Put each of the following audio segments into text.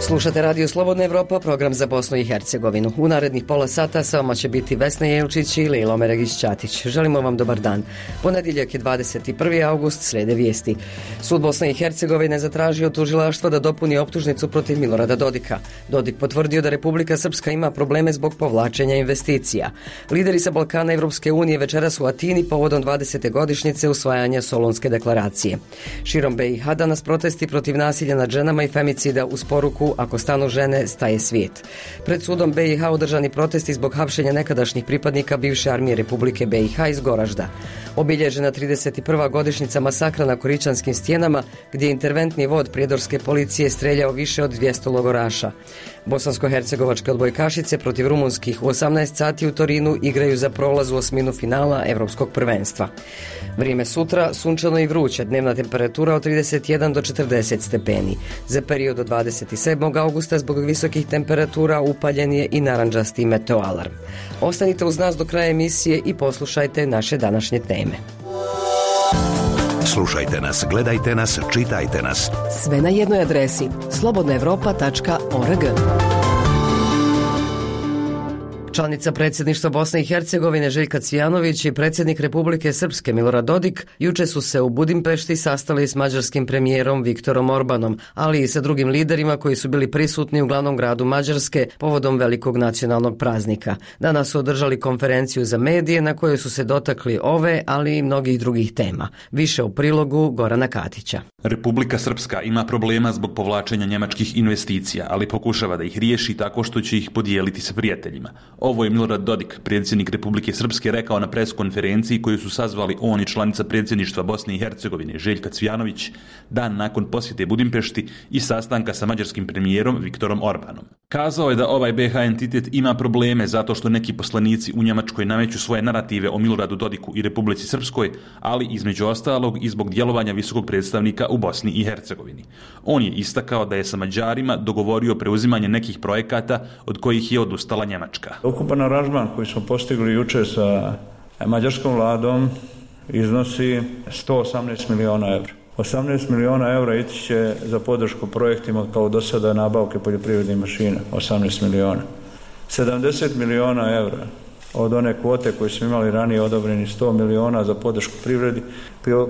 Slušate Radio Slobodna Evropa, program za Bosnu i Hercegovinu. U narednih pola sata sa vama će biti Vesna Jelčić i Lilo Meregić-Ćatić. Želimo vam dobar dan. Ponedjeljak je 21. august, slijede vijesti. Sud Bosne i Hercegovine zatražio tužilaštvo da dopuni optužnicu protiv Milorada Dodika. Dodik potvrdio da Republika Srpska ima probleme zbog povlačenja investicija. Lideri sa Balkana Evropske unije večeras u Atini povodom 20. godišnjice usvajanja Solunske deklaracije. Širom BiH danas protesti protiv nasilja nad ženama i femicida uz poruku "Ako stanu žene, staje svijet". Pred sudom BiH održani protesti zbog hapšenja nekadašnjih pripadnika bivše armije Republike BiH iz Goražda. Obilježena 31. godišnjica masakra na Koričanskim stijenama, gdje je interventni vod prijedorske policije streljao više od 200 logoraša. Bosansko-hercegovačke odbojkašice protiv rumunskih u 18 sati u Torinu igraju za prolaz u osminu finala Evropskog prvenstva. Vrijeme sutra, sunčano i vruće, dnevna temperatura od 31 do 40 stepeni. Za period od 27. augusta zbog visokih temperatura upaljen je i narandžasti meteoalarm. Ostanite uz nas do kraja emisije i poslušajte naše današnje teme. Slušajte nas, gledajte nas, čitajte nas. Sve na jednoj adresi slobodnaevropa.org. Članica predsjedništva Bosne i Hercegovine Željka Cvijanović i predsjednik Republike Srpske Milorad Dodik juče su se u Budimpešti sastali s mađarskim premijerom Viktorom Orbanom, ali i sa drugim liderima koji su bili prisutni u glavnom gradu Mađarske povodom velikog nacionalnog praznika. Danas su održali konferenciju za medije na kojoj su se dotakli ove, ali i mnogih drugih tema. Više u prilogu Gorana Katića. Republika Srpska ima problema zbog povlačenja njemačkih investicija, ali pokušava da ih riješi tako što će ih podijeliti sa prijateljima. Ovo je Milorad Dodik, predsjednik Republike Srpske, rekao na preskonferenciji koju su sazvali on i članica predsjedništva Bosne i Hercegovine Željka Cvijanović dan nakon posjete Budimpešti i sastanka sa mađarskim premijerom Viktorom Orbanom. Kazao je da ovaj BiH entitet ima probleme zato što neki poslanici u Njemačkoj nameću svoje narative o Miloradu Dodiku i Republici Srpskoj, ali između ostalog i zbog djelovanja visokog predstavnika u Bosni i Hercegovini. On je istakao da je sa Mađarima dogovorio preuzimanje nekih projekata od kojih je odustala Njemačka. Ukupan aranžman koji smo postigli jučer sa mađarskom vladom iznosi 118 miliona evra. 18 miliona evra ići će za podršku projektima kao do sada nabavke poljoprivrednih mašina, 18 miliona. 70 miliona evra od one kvote koje smo imali ranije odobreni 100 miliona za podršku privredi,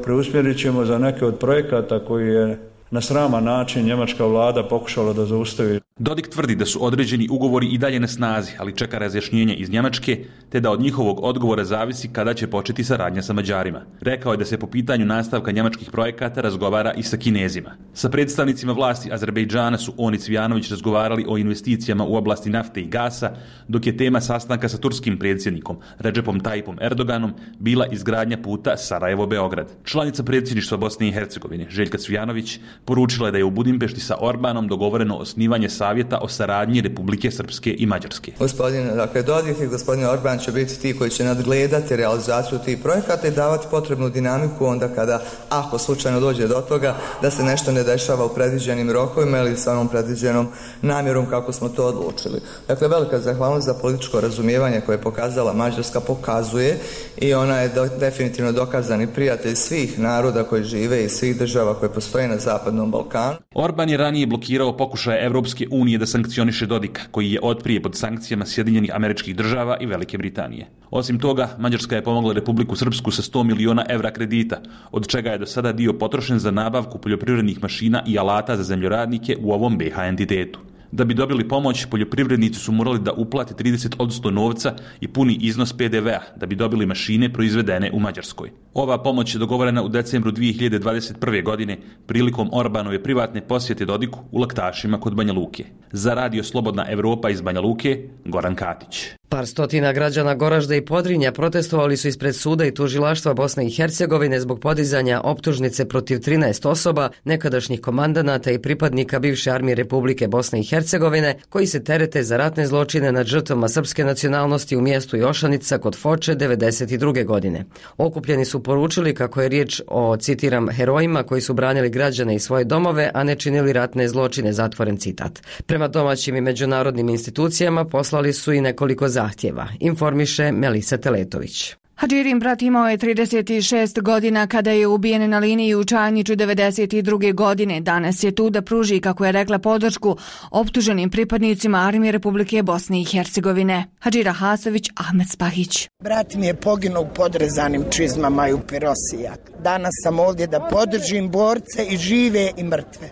preusmjerit ćemo za neke od projekata koji je na sraman način njemačka vlada pokušala da zaustavi. Dodik tvrdi da su određeni ugovori i dalje na snazi, ali čeka razjašnjenje iz Njemačke, te da od njihovog odgovora zavisi kada će početi saradnja sa Mađarima. Rekao je da se po pitanju nastavka njemačkih projekata razgovara i sa Kinezima. Sa predstavnicima vlasti Azerbejdžana su on i Cvijanović razgovarali o investicijama u oblasti nafte i gasa, dok je tema sastanka sa turskim predsjednikom Recepom Tayyipom Erdoganom bila izgradnja puta Sarajevo-Beograd. Članica predsjedništva Bosne i Hercegovine Željka Cvijanović poručila je da je u Budimpešti sa Orbanom dogovoreno osnivanje savjeta o saradnji Republike Srpske i Mađarske. Gospodin Dodik i gospodin Orban će biti ti koji će nadgledati realizaciju tih projekata i davati potrebnu dinamiku onda kada, ako slučajno dođe do toga, da se nešto ne dešava u predviđenim rokovima ili sa onom predviđenom namjerom kako smo to odlučili. Dakle, velika zahvalnost za političko razumijevanje koje je pokazala Mađarska, pokazuje i ona je definitivno dokazani prijatelj svih naroda koji žive i svih država koje postoje na Zapadnom Balkanu. Orban je ranije blokirao pokušaje Evropske unije da sankcioniše Dodika, koji je otprije pod sankcijama Sjedinjenih Američkih Država i Velike Britanije. Osim toga, Mađarska je pomogla Republiku Srpsku sa 100 miliona evra kredita, od čega je do sada dio potrošen za nabavku poljoprivrednih mašina i alata za zemljoradnike u ovom BiH entitetu. Da bi dobili pomoć, poljoprivrednici su morali da uplate 30% novca i puni iznos PDV-a da bi dobili mašine proizvedene u Mađarskoj. Ova pomoć je dogovorena u decembru 2021. godine prilikom Orbanove privatne posjete Dodiku u Laktašima kod Banja Luke. Za Radio Slobodna Evropa iz Banja Luke, Goran Katić. Par stotina građana Goražda i Podrinja protestovali su ispred suda i tužilaštva Bosne i Hercegovine zbog podizanja optužnice protiv 13 osoba, nekadašnjih komandanata i pripadnika bivše armije Republike Bosne i Hercegovine, koji se terete za ratne zločine nad žrtvama srpske nacionalnosti u mjestu Jošanica kod Foče 1992. godine. Okupljeni su poručili kako je riječ o, citiram, herojima koji su branili građane i svoje domove, a ne činili ratne zločine, zatvoren citat. Prema domaćim i međunarodnim institucijama poslali su i nekoliko zahtjeva, informiše Melisa Teletović. Hadžirin brat imao je 36 godina kada je ubijen na liniji u Čajniću 92. godine. Danas je tu da pruži, kako je rekla, podršku optuženim pripadnicima Armije Republike Bosne i Hercegovine. Hadžira Hasović, Ahmed Spahić. Brat mi je poginuo u podrezanim čizmama i u pirosijak. Danas sam ovdje da podržim borce i žive i mrtve.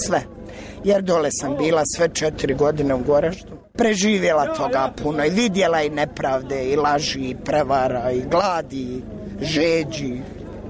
Sve. Jer dole sam bila sve 4 godine u Goraždu. Preživjela toga puno i vidjela i nepravde i laži i prevara i gladi i žeđi,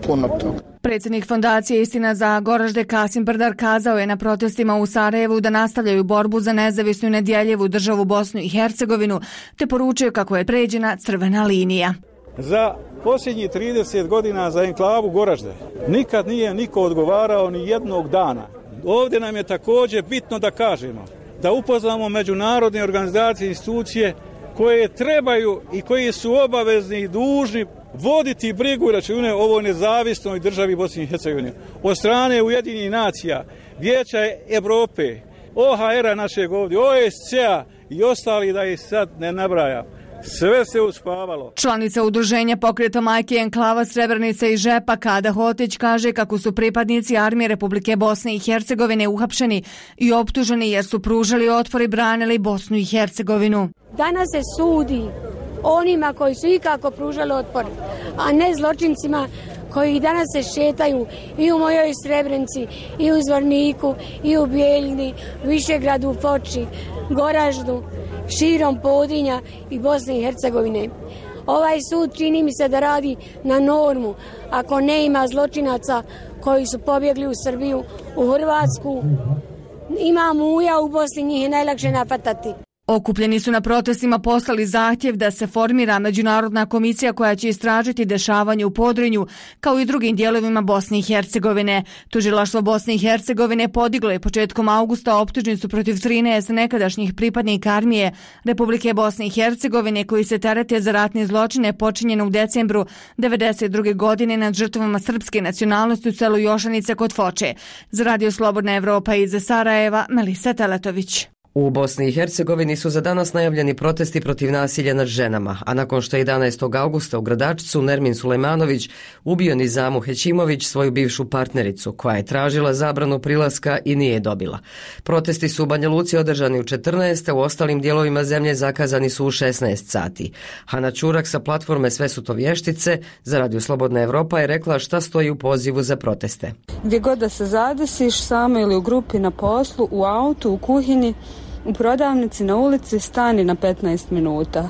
puno toga. Predsjednik fondacije Istina za Goražde Kasim Brdar kazao je na protestima u Sarajevu da nastavljaju borbu za nezavisnu i nedjeljivu državu Bosnu i Hercegovinu, te poručio kako je pređena crvena linija. Za posljednjih 30 godina za enklavu Goražde nikad nije niko odgovarao ni jednog dana. Ovdje nam je također bitno da kažemo, da upoznamo međunarodne organizacije i institucije koje trebaju i koji su obavezni i dužni voditi brigu i račune o ovoj nezavisnoj državi Bosne i Hercegovine. Od strane Ujedinjenih nacija, Vijeća Europe, OHR-a našeg ovdje, OSCE-a i ostali, da ih sad ne nabrajam. Sve se uspavalo. Članica udruženja Pokreta majke enklava Srebrenica i Žepa Kada Hotić kaže kako su pripadnici Armije Republike Bosne i Hercegovine uhapšeni i optuženi jer su pružali otpor i branili Bosnu i Hercegovinu. Danas se sudi onima koji su ikako pružali otpor, a ne zločincima koji danas se šetaju i u mojoj Srebrenici, i u Zvorniku, i u Bijeljini, Višegradu, Foči, Goraždu, širom Podrinja i Bosne i Hercegovine. Ovaj sud čini mi se da radi na normu. Ako ne ima zločinaca koji su pobjegli u Srbiju, u Hrvatsku, ima muja u Bosni, njih je najlakše nafatati. Okupljeni su na protestima poslali zahtjev da se formira međunarodna komisija koja će istražiti dešavanje u Podrinju, kao i drugim dijelovima Bosne i Hercegovine. Tužilaštvo Bosne i Hercegovine podiglo je početkom augusta optužnicu protiv 13 nekadašnjih pripadnika Armije Republike Bosne i Hercegovine koji se terete za ratne zločine počinjene u decembru 1992. godine nad žrtvama srpske nacionalnosti u selu Jošanice kod Foče. Za Radio Slobodna Evropa iz Sarajeva, Melisa Teletović. U Bosni i Hercegovini su za danas najavljeni protesti protiv nasilja nad ženama, a nakon što je 11. augusta u Gradačcu Nermin Sulejmanović ubio Nizamu Hećimović, svoju bivšu partnericu, koja je tražila zabranu prilaska i nije dobila. Protesti su u Banja Luci održani u 14, a u ostalim dijelovima zemlje zakazani su u 16 sati. Hana Čurak sa platforme Sve su to vještice za Radio Slobodna Evropa je rekla šta stoji u pozivu za proteste. Gdje god da se zadesiš, samo ili u grupi, na poslu, u autu, u kuhinji, u prodavnici, na ulici, stani na 15 minuta.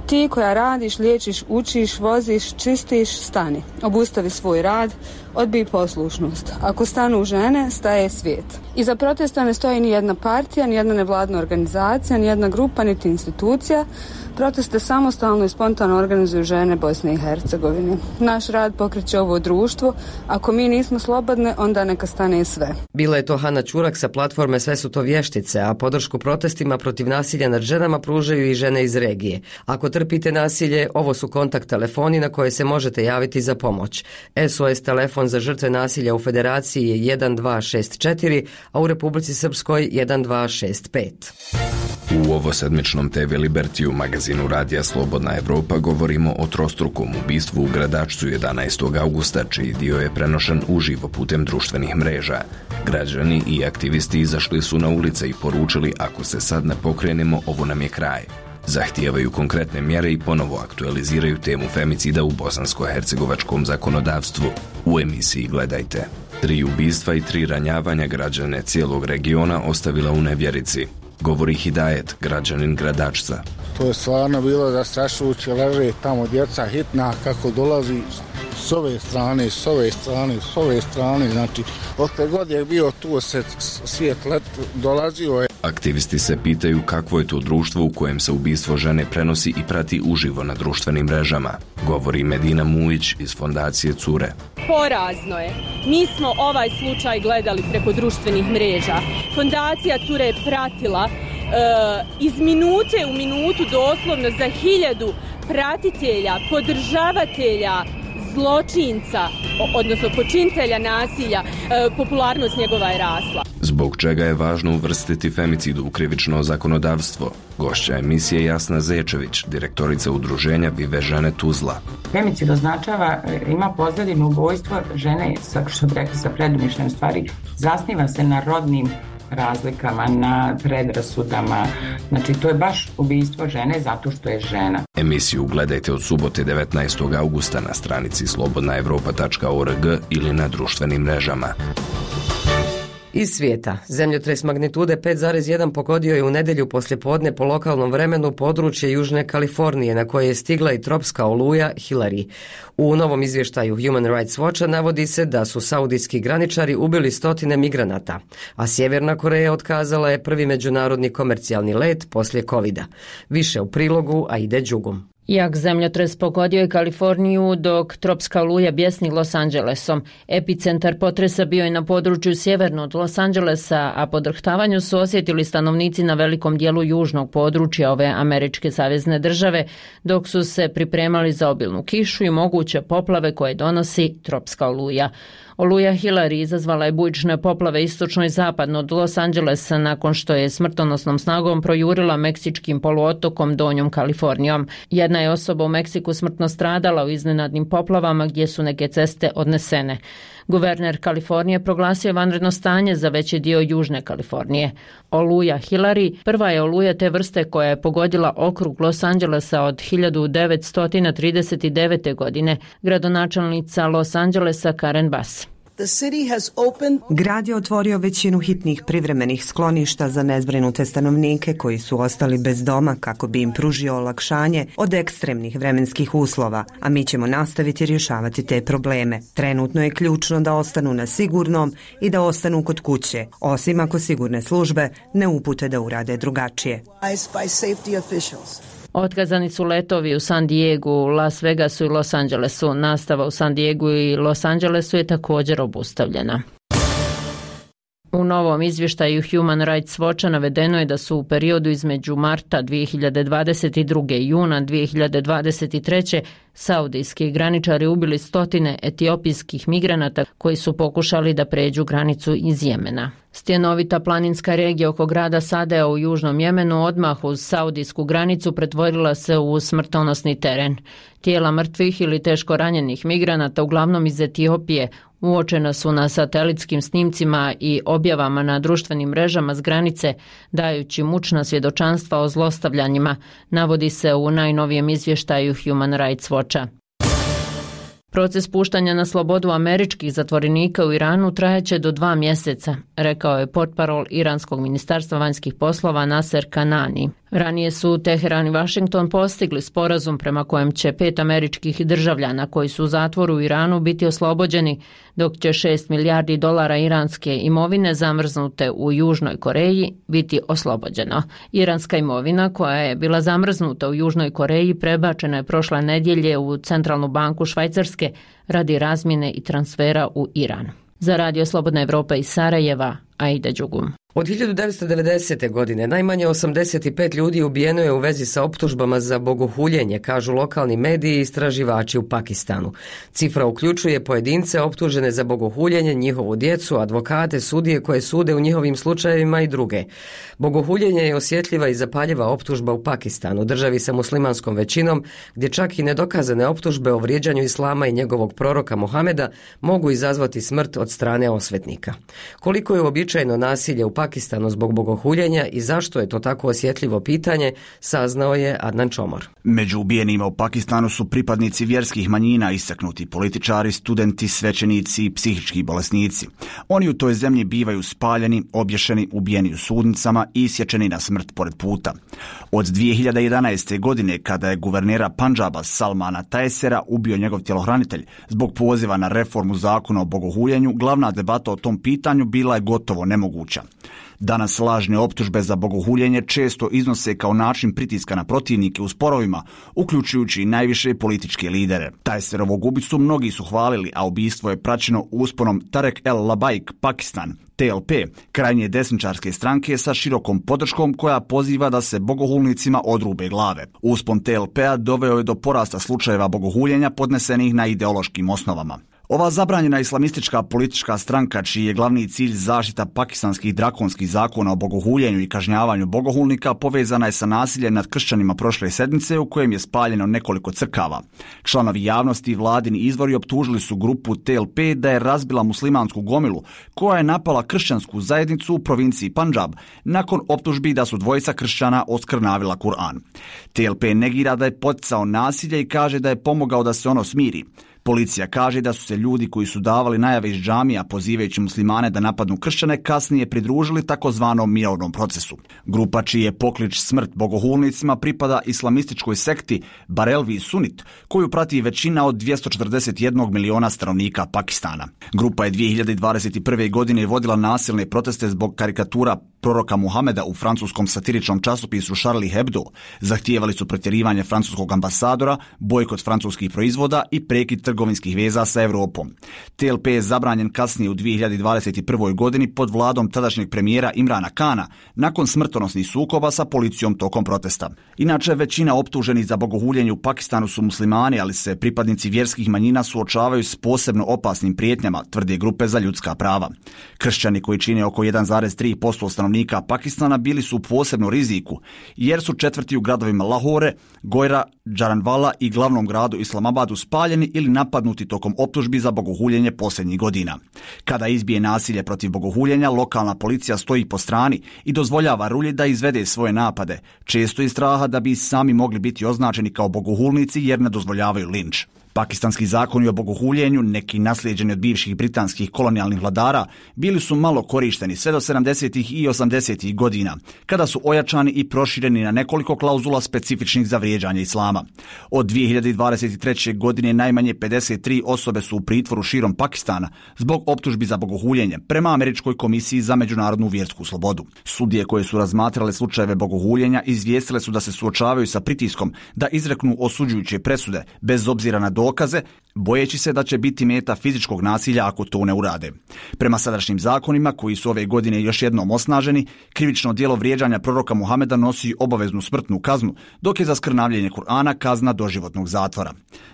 Ti koja radiš, liječiš, učiš, voziš, čistiš, stani. Obustavi svoj rad, odbij poslušnost. Ako stanu žene, staje svijet. Iza protesta ne stoji ni jedna partija, ni jedna nevladna organizacija, ni jedna grupa, niti institucija. Proteste samostalno i spontano organizuju žene Bosne i Hercegovine. Naš rad pokreće ovo društvo. Ako mi nismo slobodne, onda neka stane sve. Bila je to Hana Čurak sa platforme Sve su to vještice, a podršku protestima protiv nasilja nad ženama pružaju i žene iz regije. Ako trpite nasilje, ovo su kontakt telefoni na koje se možete javiti za pomoć. SOS telefon za žrtve nasilja u Federaciji je 1264, a u Republici Srpskoj 1265. U ovosedmičnom TV Libertiju, magazinu Radija Slobodna Evropa, govorimo o trostrukom ubistvu u Gradačcu 11. augusta, čiji dio je prenošen uživo putem društvenih mreža. Građani i aktivisti izašli su na ulice i poručili ako se sad ne pokrenemo, ovo nam je kraj. Zahtijevaju konkretne mjere i ponovo aktualiziraju temu femicida u bosansko-hercegovačkom zakonodavstvu. U emisiji gledajte. 3 ubistva i 3 ranjavanja građane cijelog regiona ostavila u nevjerici. Govori Hidajet, građanin Gradačca. To je stvarno bilo zastrašujuće, leže tamo djeca hitna kako dolazi s ove strane, s ove strane, s ove strane, znači otkad god je bio tu se svijet dolazio je. Aktivisti se pitaju kakvo je to društvo u kojem se ubistvo žene prenosi i prati uživo na društvenim mrežama. Govori Medina Mujić iz fondacije Cure. Porazno je. Mi smo ovaj slučaj gledali preko društvenih mreža. Fondacija Cure je pratila iz minute u minutu doslovno za 1000 pratitelja, podržavatelja, zločinca, odnosno počinitelja nasilja, popularnost njegova je rasla. Zbog čega je važno uvrstiti femicid u krivično zakonodavstvo? Gošća emisije Jasna Zečević, direktorica udruženja Vive žene Tuzla. Femicid označava, ima pozadinu ubojstvo žene, što bi rekli sa predumišljem stvari, zasniva se na rodnim razlikama, na predrasudama. Znači, to je baš ubijstvo žene zato što je žena. Emisiju gledajte od subote 19. augusta na stranici slobodnaevropa.org ili na društvenim mrežama. Iz svijeta. Zemljotres magnitude 5,1 pogodio je u nedjelju poslijepodne po lokalnom vremenu područje Južne Kalifornije, na koje je stigla i tropska oluja Hillary. U novom izvještaju Human Rights Watcha navodi se da su saudijski graničari ubili 100 migranata, a Sjeverna Koreja otkazala je prvi međunarodni komercijalni let poslije covida. Više u prilogu Aide Đugum. Jak zemljotres pogodio je Kaliforniju dok tropska oluja bjesni Los Angelesom. Epicentar potresa bio je na području sjeverno od Los Angelesa, a podrhtavanju su osjetili stanovnici na velikom dijelu južnog područja ove američke savezne države, dok su se pripremali za obilnu kišu i moguće poplave koje donosi tropska oluja. Oluja Hillary izazvala je bujične poplave istočno i zapadno od Los Angelesa nakon što je smrtonosnom snagom projurila meksičkim poluotokom Donjom Kalifornijom. Jedna je osoba u Meksiku smrtno stradala u iznenadnim poplavama gdje su neke ceste odnesene. Guverner Kalifornije proglasio je vanredno stanje za veći dio Južne Kalifornije. Oluja Hillary prva je oluja te vrste koja je pogodila okrug Los Angelesa od 1939. godine, gradonačelnica Los Angelesa Karen Bass. Grad je otvorio većinu hitnih privremenih skloništa za nezbrinute stanovnike koji su ostali bez doma kako bi im pružio olakšanje od ekstremnih vremenskih uslova, a mi ćemo nastaviti rješavati te probleme. Trenutno je ključno da ostanu na sigurnom i da ostanu kod kuće, osim ako sigurne službe ne upute da urade drugačije. Otkazani su letovi u San Diegu, Las Vegasu i Los Angelesu. Nastava u San Diegu i Los Angelesu je također obustavljena. U novom izvještaju Human Rights Watcha navedeno je da su u periodu između marta 2022. i juna 2023. saudijski graničari ubili 100 etiopijskih migranata koji su pokušali da pređu granicu iz Jemena. Stjenovita planinska regija oko grada Sadea u južnom Jemenu odmah uz saudijsku granicu pretvorila se u smrtonosni teren. Tijela mrtvih ili teško ranjenih migranata, uglavnom iz Etiopije, uočena su na satelitskim snimcima i objavama na društvenim mrežama s granice, dajući mučna svjedočanstva o zlostavljanjima, navodi se u najnovijem izvještaju Human Rights Watcha. Proces puštanja na slobodu američkih zatvorenika u Iranu trajaće do 2 mjeseca, rekao je portparol Iranskog ministarstva vanjskih poslova Naser Kanani. Ranije su Teheran i Washington postigli sporazum prema kojem će 5 američkih državljana koji su u zatvoru u Iranu biti oslobođeni, dok će $6 milijardi iranske imovine zamrznute u Južnoj Koreji biti oslobođeno. Iranska imovina koja je bila zamrznuta u Južnoj Koreji prebačena je prošle nedjelje u Centralnu banku Švajcarske radi razmjene i transfera u Iran. Za Radio Slobodna Evropa iz Sarajeva, Aida Đugum. Od 1990. godine najmanje 85 ljudi ubijeno je u vezi sa optužbama za bogohuljenje, kažu lokalni mediji i istraživači u Pakistanu. Cifra uključuje pojedince optužene za bogohuljenje, njihovu djecu, advokate, sudije koje sude u njihovim slučajevima i druge. Bogohuljenje je osjetljiva i zapaljiva optužba u Pakistanu, državi sa muslimanskom većinom, gdje čak i nedokazane optužbe o vrijeđanju islama i njegovog proroka Mohameda mogu izazvati smrt od strane osvetnika. Koliko je uobičajeno nasilje u Pakistanu zbog bogohuljenja i zašto je to tako osjetljivo pitanje, saznao je Adnan Čomor. Među ubijenima u Pakistanu su pripadnici vjerskih manjina, istaknuti političari, studenti, svećenici i psihički bolesnici. Oni u toj zemlji bivaju spaljeni, obješeni, ubijeni u sudnicama i isječeni na smrt pored puta. Od 2011. godine, kada je guvernera Pandžaba Salmana Taesera ubio njegov tjelohranitelj zbog poziva na reformu zakona o bogohuljenju, glavna debata o tom pitanju bila je gotovo gotovo nemoguća. Danas lažne optužbe za bogohuljenje često iznose kao način pritiska na protivnike u sporovima, uključujući i najviše političke lidere. Tajserovog ubicu mnogi su hvalili, a ubistvo je praćeno usponom Tarek El Labaik Pakistan, TLP, krajnje desničarske stranke sa širokom podrškom koja poziva da se bogohulnicima odrube glave. Uspon TLP-a doveo je do porasta slučajeva bogohuljenja podnesenih na ideološkim osnovama. Ova zabranjena islamistička politička stranka, čiji je glavni cilj zaštita pakistanskih drakonskih zakona o bogohuljenju i kažnjavanju bogohulnika, povezana je sa nasiljem nad kršćanima prošle sedmice u kojem je spaljeno nekoliko crkava. Članovi javnosti i vladini izvori optužili su grupu TLP da je razbila muslimansku gomilu koja je napala kršćansku zajednicu u provinciji Pandžab nakon optužbi da su dvojica kršćana oskrnavila Kur'an. TLP negira da je poticao nasilje i kaže da je pomogao da se ono smiri. Policija kaže da su se ljudi koji su davali najave iz džamija pozivajući muslimane da napadnu kršćane kasnije pridružili takozvanom mirovnom procesu. Grupa čiji je poklič smrt bogohulnicima pripada islamističkoj sekti Barelvi Sunit, koju prati većina od 241 miliona stanovnika Pakistana. Grupa je 2021. godine vodila nasilne proteste zbog karikatura proroka Muhameda u francuskom satiričnom časopisu Charlie Hebdo. Zahtijevali su protjerivanje francuskog ambasadora, bojkot francuskih proizvoda i prekid trgovinskih veza sa Europom. TLP je zabranjen kasnije u 2021. godini pod vladom tadašnjeg premijera Imrana Kana nakon smrtonosnih sukoba sa policijom tokom protesta. Inače, većina optuženih za bogohuljenje u Pakistanu su muslimani, ali se pripadnici vjerskih manjina suočavaju s posebno opasnim prijetnjama, tvrde grupe za ljudska prava. Kršćani koji čine oko 1,3% stanovnika Pakistana bili su u posebnom riziku, jer su četvrti u gradovima Lahore, Gojra, Džaranvala i glavnom gradu Islamabadu spaljeni ili napadnuti tokom optužbi za bogohuljenje posljednjih godina. Kada izbije nasilje protiv bogohuljenja, lokalna policija stoji po strani i dozvoljava rulji da izvede svoje napade, često iz straha da bi sami mogli biti označeni kao bogohulnici jer ne dozvoljavaju linč. Pakistanski zakoni o bogohuljenju, neki naslijeđeni od bivših britanskih kolonijalnih vladara, bili su malo korišteni sve do 70. i 80. godina, kada su ojačani i prošireni na nekoliko klauzula specifičnih za vrijeđanje islama. Od 2023. godine najmanje 53 osobe su u pritvoru širom Pakistana zbog optužbi za bogohuljenje, prema Američkoj komisiji za međunarodnu vjersku slobodu. Sudije koje su razmatrale slučajeve bogohuljenja izvijestile su da se suočavaju sa pritiskom da izreknu osuđujuće presude, bez obzira na dokaze, bojeći se da će biti meta fizičkog nasilja ako to ne urade. Prema sadašnjim zakonima, koji su ove godine još jednom osnaženi, krivično djelo vrijeđanja proroka Muhameda nosi obaveznu smrtnu kaznu, dok je za skrnavljenje Kur'ana kazna doživotnog zatvora.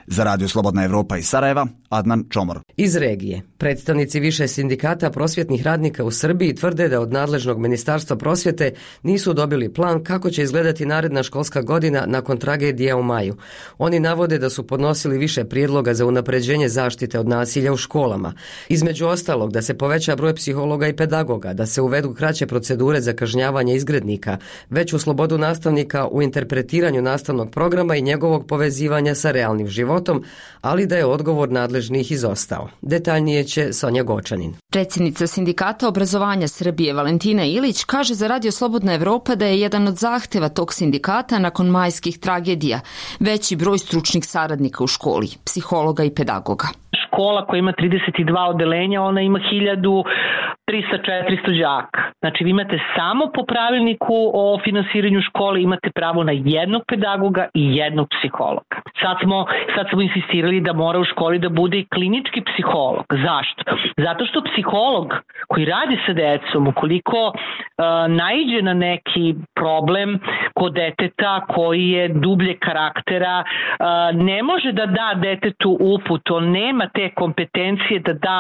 Za Radio Slobodna Evropa iz Sarajeva, Adnan Čomor. Iz regije. Predstavnici više sindikata prosvjetnih radnika u Srbiji tvrde da od nadležnog Ministarstva prosvjete nisu dobili plan kako će izgledati naredna školska godina nakon tragedije u maju. Oni navode da su podnosili više prijedloga za unapređenje zaštite od nasilja u školama. Između ostalog, da se poveća broj psihologa i pedagoga, da se uvedu kraće procedure za kažnjavanje izgrednika, veću slobodu nastavnika u interpretiranju nastavnog programa i njegovog povezivanja sa realnim životom, ali da je odgovor nadležnih izostao. Detaljnije će Sonja Gočanin. Predsjednica Sindikata obrazovanja Srbije Valentina Ilić kaže za Radio Slobodna Evropa da je jedan od zahtjeva tog sindikata nakon majskih tragedija veći broj stručnih saradnika u školi, psihologa i pedagoga. Škola koja ima 32 odeljenja, ona ima 1300-400 đaka. Znači vi imate samo po pravilniku o finansiranju škole imate pravo na jednog pedagoga i jednog psihologa. Sad smo insistirali da mora u školi da bude i klinički psiholog. Zašto? Zato što psiholog koji radi sa decom, ukoliko naiđe na neki problem kod deteta koji je dublje karaktera, ne može da da detetu uput, on nema te kompetencije da da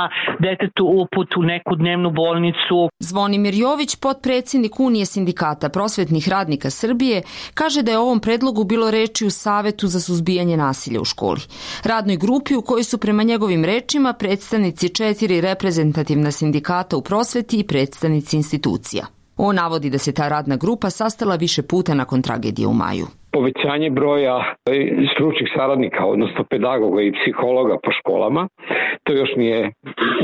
detetu uput u neku dnevnu bolnicu. Zvonimir Jović, potpredsjednik Unije sindikata prosvjetnih radnika Srbije, kaže da je o ovom predlogu bilo reči u Savetu za suzbijanje nasilja u školi. Radnoj grupi u kojoj su prema njegovim rečima predstavnici 4 reprezentativna sindikata u prosvjeti i predstavnici institucija. On navodi da se ta radna grupa sastala više puta nakon tragedije u maju. Povećanje broja stručnih saradnika, odnosno pedagoga i psihologa po školama, to još nije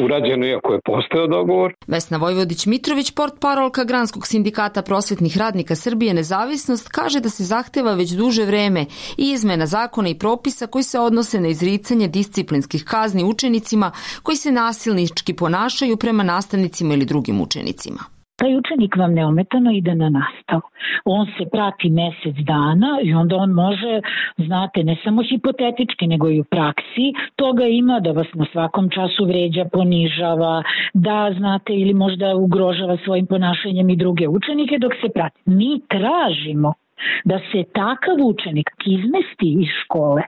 urađeno iako je postojao dogovor. Vesna Vojvodić-Mitrović, portparolka Granskog sindikata prosvetnih radnika Srbije Nezavisnost, kaže da se zahteva već duže vreme i izmena zakona i propisa koji se odnose na izricanje disciplinskih kazni učenicima koji se nasilnički ponašaju prema nastavnicima ili drugim učenicima. Taj učenik vam neometano ide na nastavu. On se prati mjesec dana i onda on može, znate, ne samo hipotetički, nego i u praksi toga ima da vas na svakom času vređa, ponižava, da, znate, ili možda ugrožava svojim ponašanjem i druge učenike dok se prati. Mi tražimo da se takav učenik izmesti iz škole,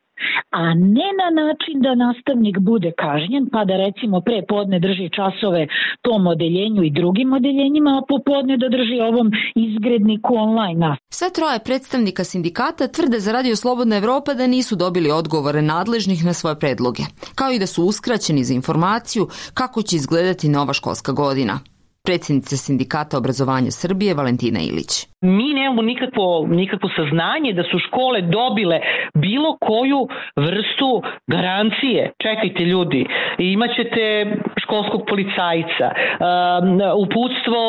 a ne na način da nastavnik bude kažnjen, pa da recimo pre podne drži časove tom odeljenju i drugim odeljenjima, a popodne da drži ovom izgredniku online. Sve troje predstavnika sindikata tvrde za Radio Slobodna Evropa da nisu dobili odgovore nadležnih na svoje predloge, kao i da su uskraćeni za informaciju kako će izgledati nova školska godina. Predsjednica Sindikata obrazovanja Srbije Valentina Ilić. Mi nemamo nikakvo saznanje da su škole dobile bilo koju vrstu garancije. Čekajte ljudi, imaćete školskog policajca, uputstvo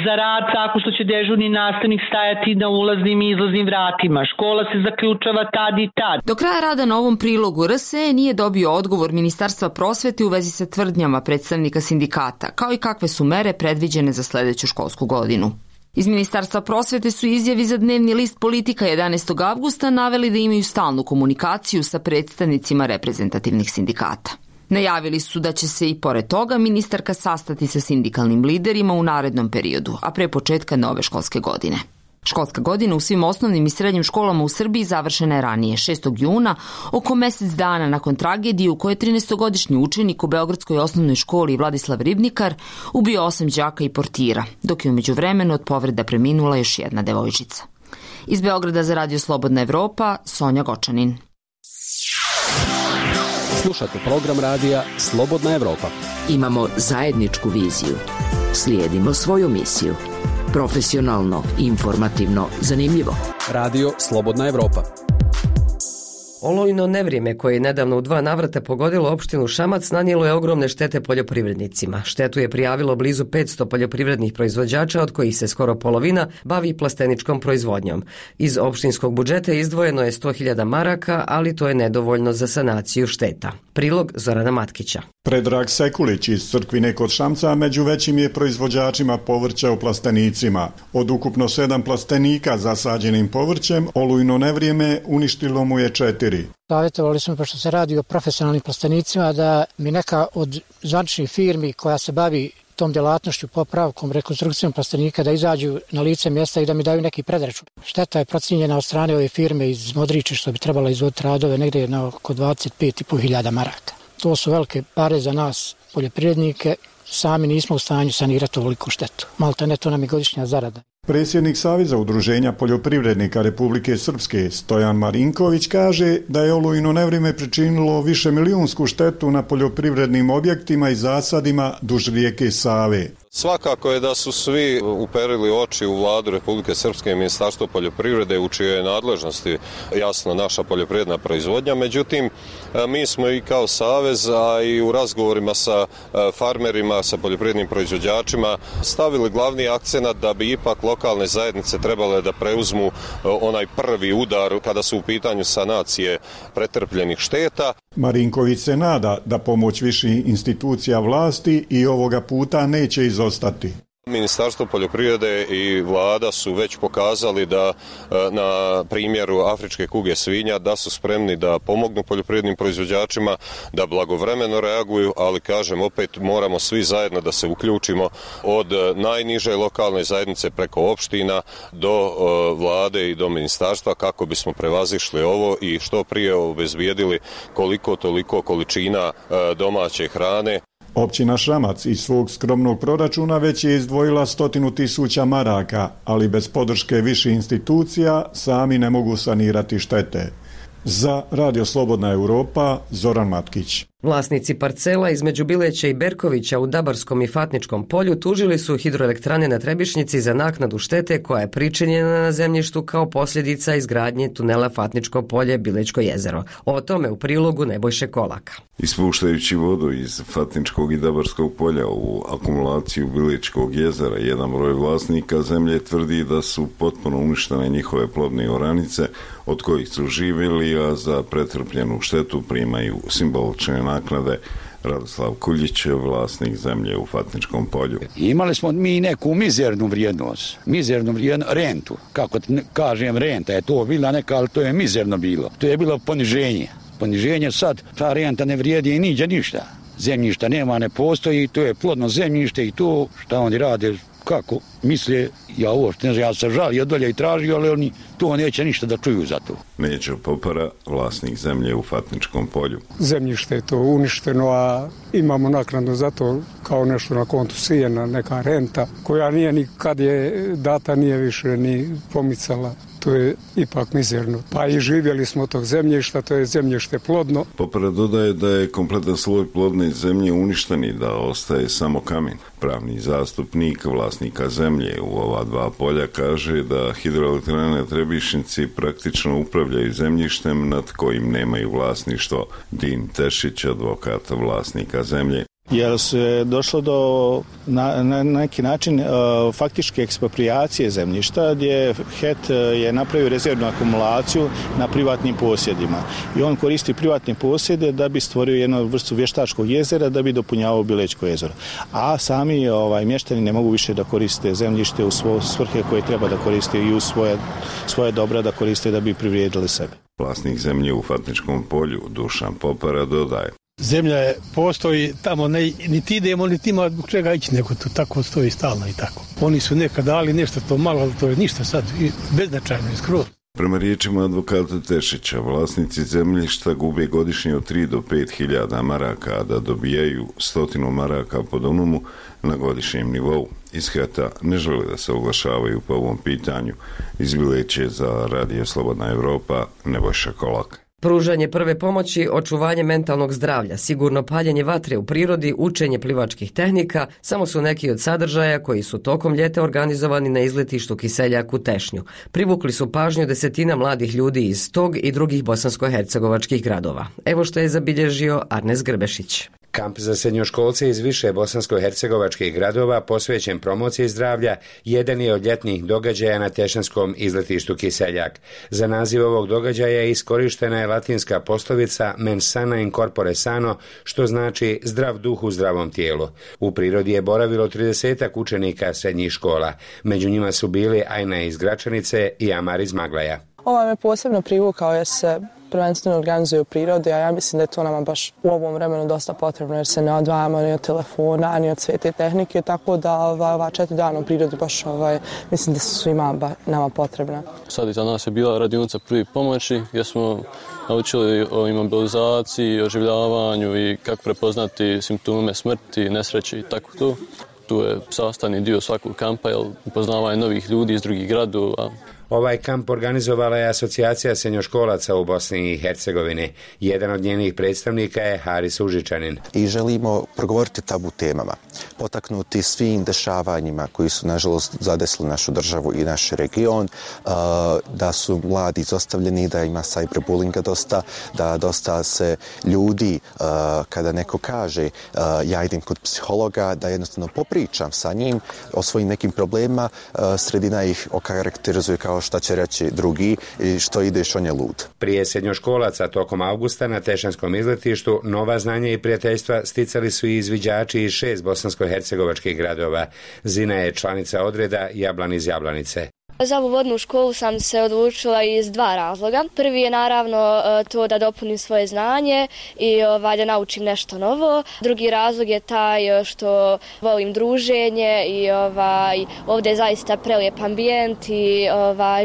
za rad tako što će dežurni nastavnik stajati na ulaznim i izlaznim vratima. Škola se zaključava tad i tad. Do kraja rada na ovom prilogu RSE nije dobio odgovor Ministarstva prosvete u vezi sa tvrdnjama predstavnika sindikata, kao i kakve su mere predviđene za sljedeću školsku godinu. Iz Ministarstva prosvete su izjavi za dnevni list Politika 11. avgusta naveli da imaju stalnu komunikaciju sa predstavnicima reprezentativnih sindikata. Najavili su da će se i pored toga ministarka sastati sa sindikalnim liderima u narednom periodu, a pre početka nove školske godine. Školska godina u svim osnovnim i srednjim školama u Srbiji završena je ranije, 6. juna, oko mjesec dana nakon tragedije u kojoj je 13-godišnji učenik u Beogradskoj osnovnoj školi Vladislav Ribnikar ubio 8 đaka i portira, dok je u međuvremenu od povreda preminula još jedna devojčica. Iz Beograda za Radio Slobodna Evropa, Sonja Gočanin. Slušate program radija Slobodna Evropa. Imamo zajedničku viziju. Slijedimo svoju misiju. Profesionalno, informativno, zanimljivo. Radio Slobodna Evropa. Olujno nevrijeme koje je nedavno u 2 navrata pogodilo opštinu Šamac nanijelo je ogromne štete poljoprivrednicima. Štetu je prijavilo blizu 500 poljoprivrednih proizvođača, od kojih se skoro polovina bavi plasteničkom proizvodnjom. Iz opštinskog budžeta izdvojeno je 100.000 maraka, ali to je nedovoljno za sanaciju šteta. Prilog Zorana Matkića. Predrag Sekulić iz Crkvine kod Šamca među većim je proizvođačima povrća u plastenicima. Od ukupno 7 plastenika zasađenim povrćem, olujno nevrijeme uništilo mu je 4. Savjetovali smo, pošto se radi o profesionalnim plastenicima, da mi neka od zvaničnih firmi koja se bavi tom djelatnošću, popravkom, rekonstrukcijom plastenika, da izađu na lice mjesta i da mi daju neki predračun. Šteta je procijenjena od strane ove firme iz Modriče, što bi trebala izvoditi radove, negdje na oko 25.500 maraka. To su velike pare za nas, poljoprivrednike, sami nismo u stanju sanirati ovoliku štetu. Malta ne, to nam je godišnja zarada. Predsjednik Saveza udruženja poljoprivrednika Republike Srpske Stojan Marinković kaže da je olujno nevrijeme pričinilo višemilijunsku štetu na poljoprivrednim objektima i zasadima duž rijeke Save. Svakako je da su svi uperili oči u vladu Republike Srpske i Ministarstvo poljoprivrede u čijoj je nadležnosti jasno naša poljoprivredna proizvodnja. Međutim, mi smo i kao Savez, a i u razgovorima sa farmerima, sa poljoprivrednim proizvođačima stavili glavni akcenat da bi ipak lokalne zajednice trebale da preuzmu onaj prvi udar kada su u pitanju sanacije pretrpljenih šteta. Marinković se nada da pomoć viših institucija vlasti i ovoga puta neće izostati. Ministarstvo poljoprivrede i vlada su već pokazali da na primjeru afričke kuge svinja da su spremni da pomognu poljoprivrednim proizvođačima, da blagovremeno reaguju, ali kažem opet moramo svi zajedno da se uključimo od najniže lokalne zajednice preko opština do vlade i do ministarstva kako bismo prevazišli ovo i što prije obezbijedili koliko toliko količina domaće hrane. Općina Šamac iz svog skromnog proračuna već je izdvojila 100.000 maraka, ali bez podrške viših institucija sami ne mogu sanirati štete. Za Radio Slobodna Europa, Zoran Matkić. Vlasnici parcela između Bileća i Berkovića u Dabarskom i Fatničkom polju tužili su hidroelektrane na Trebišnjici za naknadu štete koja je pričinjena na zemljištu kao posljedica izgradnje tunela Fatničko polje Bilećko jezero. O tome u prilogu Nebojše Kolaka. Ispuštajući vodu iz Fatničkog i Dabarskog polja u akumulaciju Bilećkog jezera, jedan broj vlasnika zemlje tvrdi da su potpuno uništene njihove plodne oranice od kojih su živjeli, a za pretrpljenu štetu primaju simbolične naknade. Radoslav Kuljić, vlasnik zemlje u Fatničkom polju. Imali smo mi neku mizernu vrijednost, rentu, kako kažem, renta je to bila neka, ali to je mizerno bilo. To je bilo poniženje sad, ta renta ne vrijedi i niđe ništa. Zemljišta nema, ne postoji, to je plodno zemljište i to šta oni rade, kako misle, ja se žalio dolje i tražio, ali oni to neće ništa da čuju za to. Neđo Popara, vlasnik zemlje u Fatničkom polju. Zemljište je to uništeno, a imamo naknadu za to kao nešto na kontu sijena, neka renta, koja nije ni kad je data, nije više ni pomicala. To je ipak mizerno. Pa i živjeli smo tog zemljišta, to je zemljište plodno. Popara dodaje da je kompletan sloj plodne zemlje uništen i da ostaje samo kamen. Pravni zastupnik vlasnika zemlje u ova dva polja kaže da hidroelektrane Trebišnjici praktično upravljaju zemljištem nad kojim nemaju vlasništvo. Din Tešić, advokat vlasnika zemlje. Jer se došlo do na neki način faktičke eksproprijacije zemljišta gdje HET je napravio rezervnu akumulaciju na privatnim posjedima i on koristi privatne posjede da bi stvorio jednu vrstu vještačkog jezera da bi dopunjavao Bilećko jezero. A sami mještani ne mogu više da koriste zemljište u svoje svrhe koje treba da koriste i u svoje dobra da koriste da bi privrijedili sebe. Vlasnik zemlje u Fatničkom polju Dušan Popara dodaje. Zemlja postoji tamo, niti idemo, niti ima zbog čega ići, nego to tako stoji stalno i tako. Oni su nekad dali nešto to malo, ali to je ništa sad, beznačajno i skroz. Prema riječima advokata Tešića, vlasnici zemljišta gube godišnje od 3 do 5 hiljada maraka, a da dobijaju 100 maraka po donumu na godišnjem nivou. Iz HET-a ne žele da se oglašavaju po ovom pitanju. Iz Bileće za Radio Slobodna Evropa, Nebojša Kolaka. Pružanje prve pomoći, očuvanje mentalnog zdravlja, sigurno paljenje vatre u prirodi, učenje plivačkih tehnika samo su neki od sadržaja koji su tokom ljeta organizovani na izletištu Kiseljak u Tešnju. Privukli su pažnju desetina mladih ljudi iz tog i drugih bosansko-hercegovačkih gradova. Evo što je zabilježio Arnes Grbešić. Kamp za srednjoškolce iz više bosansko-hercegovačkih gradova posvećen promociji zdravlja jedan je od ljetnih događaja na tešanskom izletištu Kiseljak. Za naziv ovog događaja iskorištena je latinska poslovica mens sana in corpore sano, što znači zdrav duh u zdravom tijelu. U prirodi je boravilo 30 učenika srednjih škola. Među njima su bili Ajna iz Gračanice i Amar iz Maglaja. Ovaj me posebno privukao jer se prvenstveno organizuje u prirodi, a ja mislim da je to nama baš u ovom vremenu dosta potrebno jer se ne odvajamo ni od telefona, ni od sve te tehnike, tako da ova 4 dana u prirodi baš mislim da su svima nama potrebna. Sad iza nas je bila radionica prvi pomoći gdje smo naučili o imobilizaciji, oživljavanju i kako prepoznati simptome smrti, nesreće i tako to. Tu je sastavni dio svakog kampa, jer upoznavanje novih ljudi iz drugih gradova. Ovaj kamp organizovala je Asocijacija srednjoškolaca u Bosni i Hercegovini. Jedan od njenih predstavnika je Haris Užičanin. I želimo progovoriti o tabu temama, potaknuti svim dešavanjima koji su nažalost zadesili našu državu i naš region, da su mladi izostavljeni, da ima cyberbullinga dosta, da dosta se ljudi, kada neko kaže ja idem kod psihologa, da jednostavno popričam sa njim o svojim nekim problemima, sredina ih okarakterizuje kao šta će reći drugi i što ideš, on je lud. Prije srednjoškolaca tokom avgusta na tešanskom izletištu nova znanja i prijateljstva sticali su i izviđači iz 6 bosansko-hercegovačkih gradova. Zina je članica odreda Jablan iz Jablanice. Za ovu vodnu školu sam se odlučila iz 2 razloga. Prvi je naravno to da dopunim svoje znanje i da naučim nešto novo. Drugi razlog je taj što volim druženje i ovdje je zaista prelijep ambijent i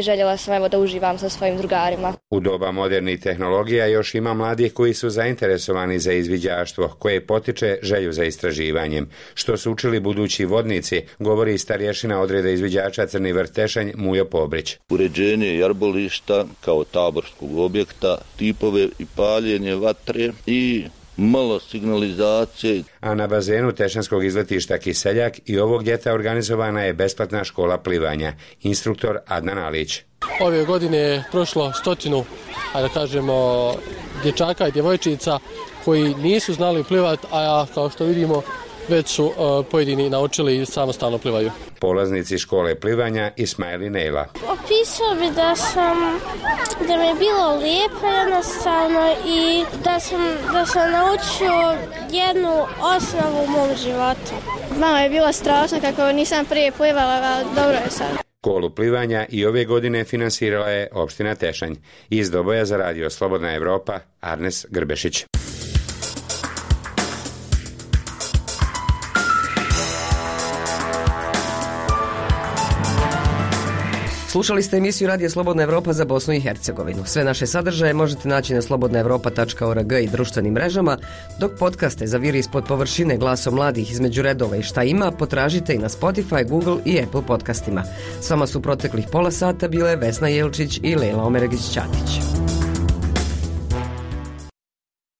željela sam da uživam sa svojim drugarima. U doba modernih tehnologija još ima mladih koji su zainteresovani za izviđaštvo, koje potiče želju za istraživanjem. Što su učili budući vodnici, govori starješina odreda izviđača Crni Vrh Tešanj Mujo Pobrić. Uređenje jarbolišta kao taborskog objekta, tipove i paljenje vatre i malo signalizacije. A na bazenu Tešanskog izletišta Kiseljak i ovog ljeta organizovana je besplatna škola plivanja. Instruktor Adnan Alić. Ove godine je prošlo 100, da kažemo, dječaka i djevojčica koji nisu znali plivati, a kao što vidimo već su pojedini naučili i samostalno plivaju. Polaznici škole plivanja Ismail i Nejla. Opisao bi da mi je bilo lijepo jednostavno i da sam naučio jednu osnovu u mom životu. Malo je bilo strašno kako nisam prije plivala, ali dobro je sad. Školu plivanja i ove godine finansirala je opština Tešanj. Iz Doboja za radio Slobodna Evropa, Arnes Grbešić. Slušali ste emisiju Radija Slobodna Evropa za Bosnu i Hercegovinu. Sve naše sadržaje možete naći na slobodnaevropa.org i društvenim mrežama, dok podcaste za Viri ispod površine glasom mladih između redova i šta ima potražite i na Spotify, Google i Apple podcastima. S vama su proteklih pola sata bile Vesna Jelčić i Lejla Omeregić-Ćatić.